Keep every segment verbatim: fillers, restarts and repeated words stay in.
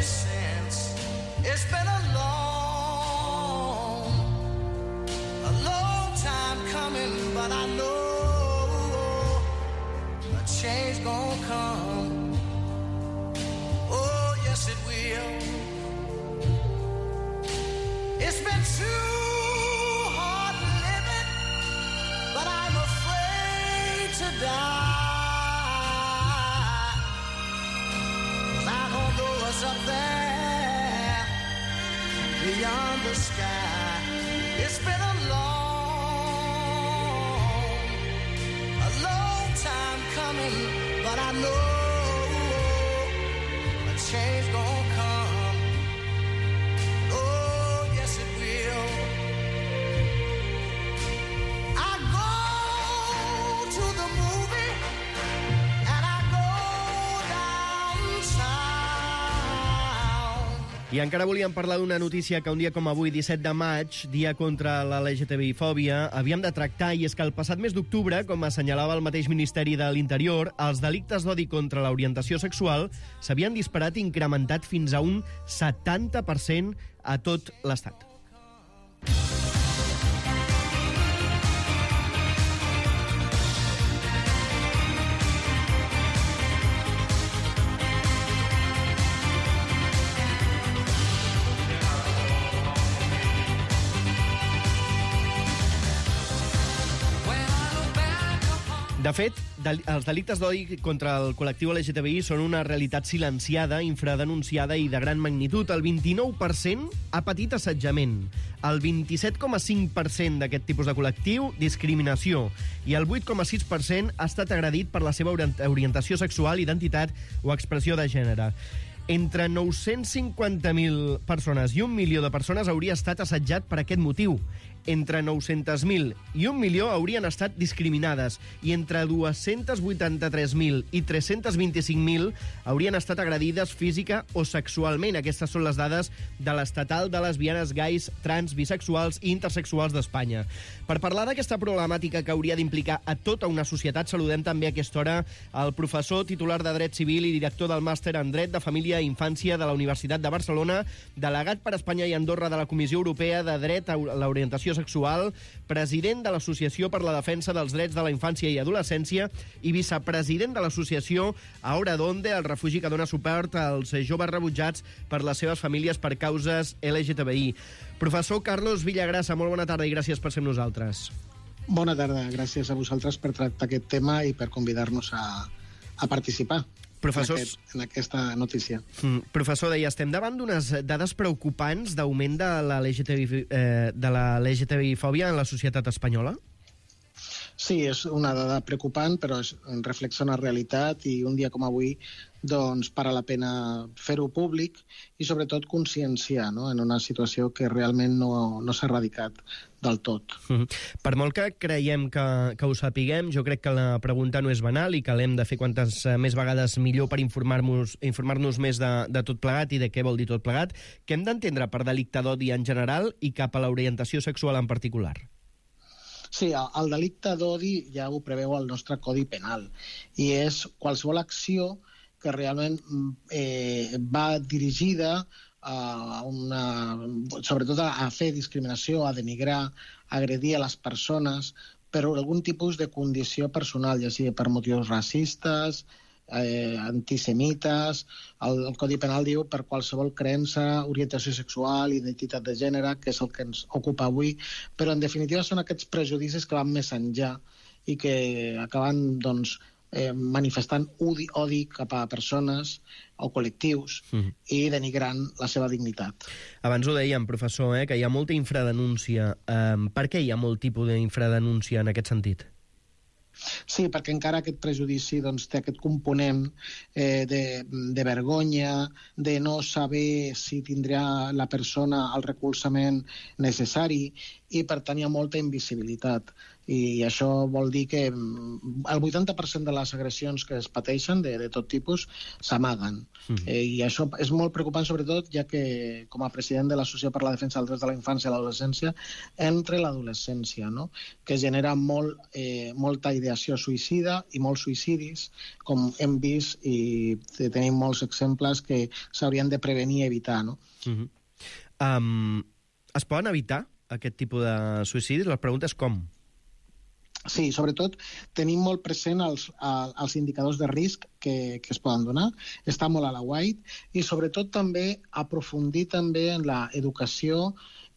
ever since. It's been a long, a long time coming, but I know a change gonna come. Oh, yes it will. It's been too hard living, but I'm afraid to die. Up there beyond the sky, it's been a long, a long time coming, but I know a change gonna come. Oh, yes it will. I go to the movie and I go downtown. I encara volíem parlar d'una notícia que un dia com avui, disset de maig, dia contra la L G T B I-fòbia, havíem de tractar, i és que el passat mes d'octubre, com assenyalava el mateix Ministeri de l'Interior, els delictes d'odi contra l'orientació sexual s'havien disparat i incrementat fins a un setanta per cent a tot l'Estat. De fet, els delictes d'odi contra el col·lectiu L G T B I són una realitat silenciada, infradenunciada i de gran magnitud. El vint-i-nou per cent ha patit assetjament, el vint-i-set coma cinc per cent d'aquest tipus de col·lectiu, discriminació, i el vuit coma sis per cent ha estat agredit per la seva orientació sexual, identitat o expressió de gènere. Entre nou-cents cinquanta mil persones i un milió de persones hauria estat assetjat per aquest motiu. Entre nou-cents mil i un milió haurien estat discriminades i entre dos-cents vuitanta-tres mil i tres-cents vint-i-cinc mil haurien estat agredides física o sexualment. Aquestes són les dades de l'Estatal de Lesbianes, Gais, Trans, Bisexuals i Intersexuals d'Espanya. Per parlar d'aquesta problemàtica que hauria d'implicar a tota una societat, saludem també a aquesta hora el professor titular de Dret Civil i director del Màster en Dret de Família i Infància de la Universitat de Barcelona, delegat per Espanya i Andorra de la Comissió Europea de Dret a l'Orientació Sexual, president de l'Associació per la Defensa dels Drets de la Infància i Adolescència i vicepresident de l'Associació Ahora Donde, el refugi que dona suport als joves rebutjats per les seves famílies per causes L G T B I. Professor Carlos Villagrasa, molt bona tarda i gràcies per ser amb nosaltres. Bona tarda, gràcies a vosaltres per tractar aquest tema i per convidar-nos a, a participar. Professors... en, aquest, en aquesta notícia. Mm, professor, deia, estem davant d'unes dades preocupants d'augment de la L G T B I, eh, de la L G T B I-fòbia en la societat espanyola? Sí, és una dada preocupant, però és, reflexa una realitat i un dia com avui doncs para la pena fer-ho públic i sobretot conscienciar, no?, en una situació que realment no, no s'ha erradicat del tot. Mm-hmm. Per molt que creiem que, que ho sapiguem, jo crec que la pregunta no és banal i que l'hem de fer quantes més vegades millor per informar-nos informar-nos més de, de tot plegat i de què vol dir tot plegat. Què hem d'entendre per delicte d'odi en general i cap a l'orientació sexual en particular? Sí, el delicte d'odi ja ho preveu el nostre Codi Penal i és qualsevol acció que realment eh, va dirigida a una, sobretot a fer discriminació, a denigrar, a agredir a les persones per algun tipus de condició personal, ja sigui per motius racistes, eh, antisemites. El, el Codi Penal diu per qualsevol creença, orientació sexual, identitat de gènere, que és el que ens ocupa avui, però en definitiva són aquests prejudicis que van més enllà i que acaben, doncs, eh, manifestant odi, odi cap a persones o col·lectius mm. i denigrant la seva dignitat. Abans ho dèiem, professor, eh, que hi ha molta infradenúncia. Um, per què hi ha molt tipus d'infradenúncia en aquest sentit? Sí, perquè encara aquest prejudici doncs, té aquest component eh, de, de vergonya, de no saber si tindrà la persona el recolzament necessari i per tant hi ha molta invisibilitat. I això vol dir que el vuitanta per cent de les agressions que es pateixen de, de tot tipus s'amaguen. Mm. Eh, I això és molt preocupant, sobretot, ja que com a president de l'Associació per la Defensa dels Drets de la Infància i l'Adolescència, entre l'adolescència, no? Que genera molt, eh, molta ideació suïcida i molts suïcidis, com hem vist, i tenim molts exemples que s'haurien de prevenir i evitar, no? Mm-hmm. um, es poden evitar aquest tipus de suïcidis? La pregunta és com? Sí, sobretot tenim molt present els, els indicadors de risc que, que es poden donar. Està molt a la white i sobretot també aprofundir també en l'educació,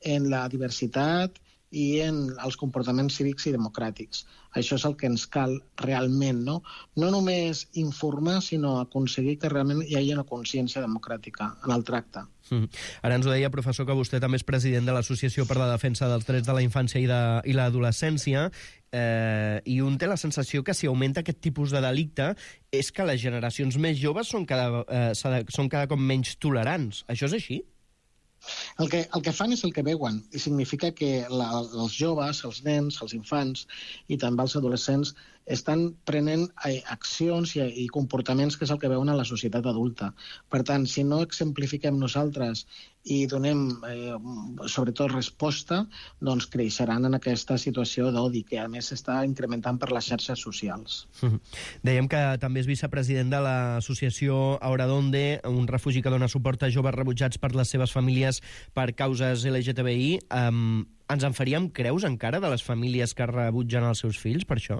en la diversitat i en els comportaments cívics i democràtics. Això és el que ens cal realment, no? No només informar, sinó aconseguir que realment hi hagi una consciència democràtica en el tracte. Mm. Ara ens ho deia, professor, que vostè també és president de l'Associació per la Defensa dels Drets de la Infància i, de, i l'Adolescència, eh, i un té la sensació que si augmenta aquest tipus de delicte és que les generacions més joves són cada, eh, són cada cop menys tolerants. Això és així? El que, el que fan és el que veuen, i significa que la, els joves, els nens, els infants i també els adolescents estan prenent accions i, i comportaments que és el que veuen a la societat adulta. Per tant, si no exemplifiquem nosaltres i donem, eh, sobretot, resposta, doncs creixeran en aquesta situació d'odi, que a més s'està incrementant per les xarxes socials. Mm-hmm. Dèiem que també és vicepresident de l'associació Ahora Donde, un refugi que dona suport a joves rebutjats per les seves famílies per causes L G T B I. Um, ens en faríem creus encara de les famílies que rebutgen els seus fills per això?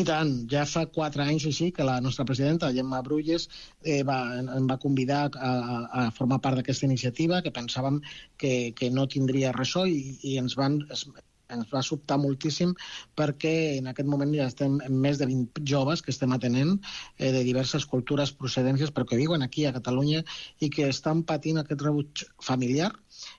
I tant, ja fa quatre anys o així que la nostra presidenta, Gemma Brulles, eh, va, em va convidar a, a formar part d'aquesta iniciativa, que pensàvem que, que no tindria ressò i, i ens, van, es, ens va sobtar moltíssim perquè en aquest moment ja estem en més de vint joves que estem atenent eh, de diverses cultures, procedències, però que viuen aquí a Catalunya i que estan patint aquest rebuig familiar,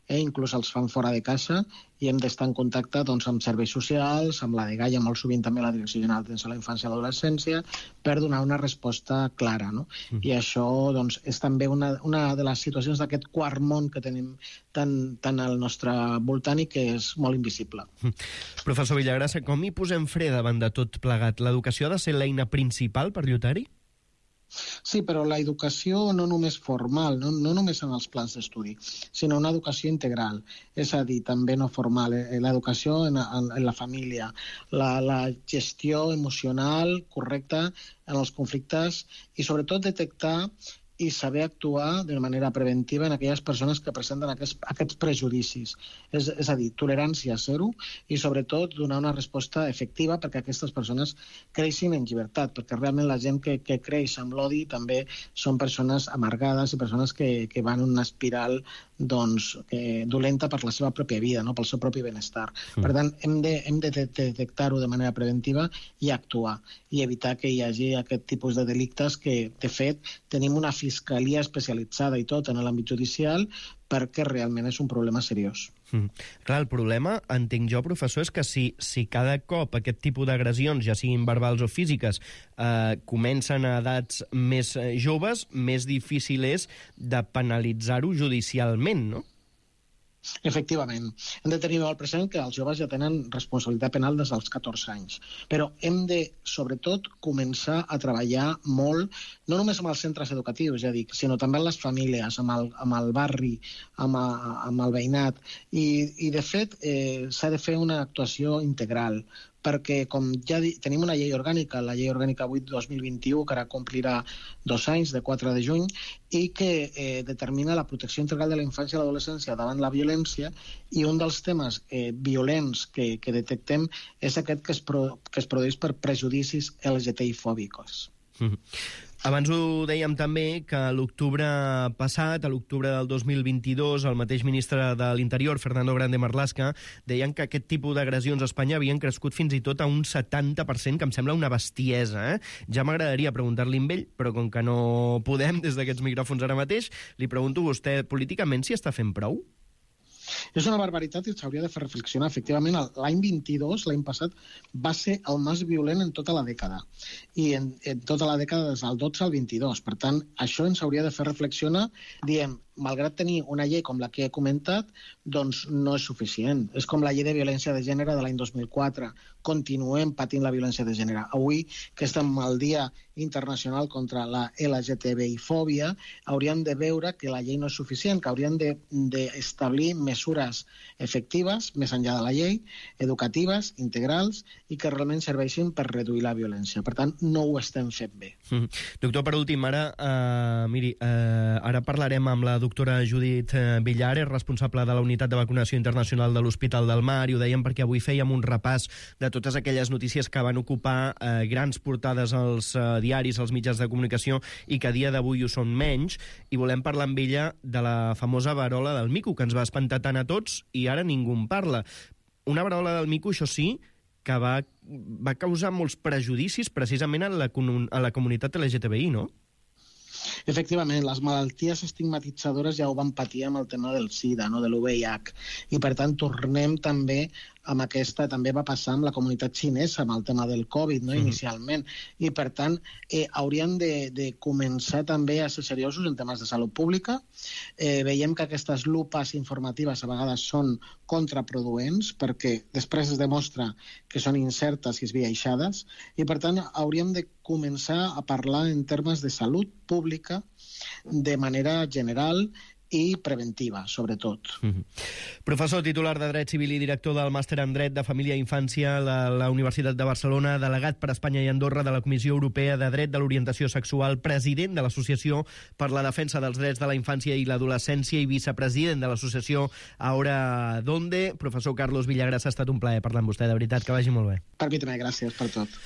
eh, inclús els fan fora de casa, i hem d'estar en contacte doncs, amb serveis socials, amb la dgaia, molt sovint també la Direcció General d'Atenció a la Infància i l'Adolescència, per donar una resposta clara. No? Mm. I això doncs, és també una, una de les situacions d'aquest quart món que tenim tan, tan al nostre voltant i que és molt invisible. Mm. Professor Villagrasa, com hi posem fre davant de tot plegat? L'educació ha de ser l'eina principal per lluitar-hi? Sí, però la educació no només formal, no, no només en els plans d'estudi, sinó una educació integral, és a dir, també no formal, eh, l'educació en, en, en la família, la, la gestió emocional correcta en els conflictes i sobretot detectar i saber actuar de manera preventiva en aquelles persones que presenten aquests, aquests prejudicis. És, és a dir, tolerància zero i, sobretot, donar una resposta efectiva perquè aquestes persones creixin en llibertat, perquè realment la gent que, que creix amb l'odi també són persones amargades i persones que, que van en una espiral doncs, eh, dolenta per la seva pròpia vida, no? Pel seu propi benestar. Mm. Per tant, hem de, hem de detectar-ho de manera preventiva i actuar, i evitar que hi hagi aquest tipus de delictes que, de fet, tenim una fiscalia especialitzada i tot en l'àmbit judicial perquè realment és un problema seriós. Mm. Clar, el problema, entenc jo, professor, és que si, si cada cop aquest tipus d'agressions, ja siguin verbals o físiques, eh, comencen a edats més joves, més difícil és de penalitzar-ho judicialment, no? Efectivament. Hem de tenir molt present que els joves ja tenen responsabilitat penal des dels catorze anys. Però hem de, sobretot, començar a treballar molt, no només amb els centres educatius, ja dic, sinó també amb les famílies, amb el, amb el barri, amb, a, amb el veïnat. I, i de fet, eh, s'ha de fer una actuació integral, perquè com ja di, tenim una llei orgànica, la llei orgànica vuit dos mil vint-i-u, que ara complirà dos anys, de quatre de juny, i que eh, determina la protecció integral de la infància i l'adolescència davant la violència, i un dels temes eh, violents que, que detectem és aquest que es, pro, que es produeix per prejudicis L G T B I-fòbicos. Mm-hmm. Abans ho dèiem també que l'octubre passat, a l'octubre del dos mil vint-i-dos, el mateix ministre de l'Interior, Fernando Grande Marlaska, deien que aquest tipus d'agressions a Espanya havien crescut fins i tot a un setanta per cent, que em sembla una bestiesa. Eh? Ja m'agradaria preguntar-li amb ell, però com que no podem des d'aquests micròfons ara mateix, li pregunto a vostè políticament si està fent prou? És una barbaritat i s'hauria de fer reflexionar. Efectivament, l'any vint-i-dos, l'any passat, va ser el més violent en tota la dècada. I en, en tota la dècada des del dotze al vint-i-dos. Per tant, això ens hauria de fer reflexionar. Diem, malgrat tenir una llei com la que he comentat, doncs no és suficient. És com la llei de violència de gènere de l'any dos mil quatre. Continuem patint la violència de gènere. Avui, que estem al Dia Internacional contra la L G T B I-fòbia, hauríem de veure que la llei no és suficient, que hauríem d'establir de, de mesures efectives, més enllà de la llei, educatives, integrals, i que realment serveixin per reduir la violència. Per tant, no ho estem fent bé. Mm. Doctor, per últim, ara, uh, miri, uh, ara parlarem amb la doctora Judit Villares, responsable de la Unitat de Vacunació Internacional de l'Hospital del Mar, i ho dèiem perquè avui fèiem un repàs de totes aquelles notícies que van ocupar uh, grans portades als uh, diaris, als mitjans de comunicació, i que a dia d'avui ho són menys, i volem parlar amb ella de la famosa verola del mico, que ens va espantar tant a tots i ara ningú en parla. Una verola del mico, això sí, que va, va causar molts prejudicis precisament a la, a la comunitat L G T B I, no? Efectivament, les malalties estigmatitzadores ja ho van patir amb el tema del SIDA, no? De l'U V I H, i per tant tornem també amb aquesta, també va passar amb la comunitat xinesa, amb el tema del Covid, no? Mm. Inicialment, i per tant eh, hauríem de, de començar també a ser seriosos en temes de salut pública. Eh, veiem que aquestes lupes informatives a vegades són contraproduents perquè després es demostra que són incertes i esbiaixades, i per tant hauríem de començar a parlar en termes de salut pública de manera general i preventiva, sobretot. Mm-hmm. Professor titular de Dret Civil i director del Màster en Dret de Família i Infància a la, la Universitat de Barcelona, delegat per Espanya i Andorra de la Comissió Europea de Dret de l'Orientació Sexual, president de l'Associació per la Defensa dels Drets de la Infància i l'Adolescència i vicepresident de l'Associació Ahora Donde. Professor Carlos Villagrasa, ha estat un plaer parlar amb vostè, de veritat, que vagi molt bé. Per mi també, gràcies per tot.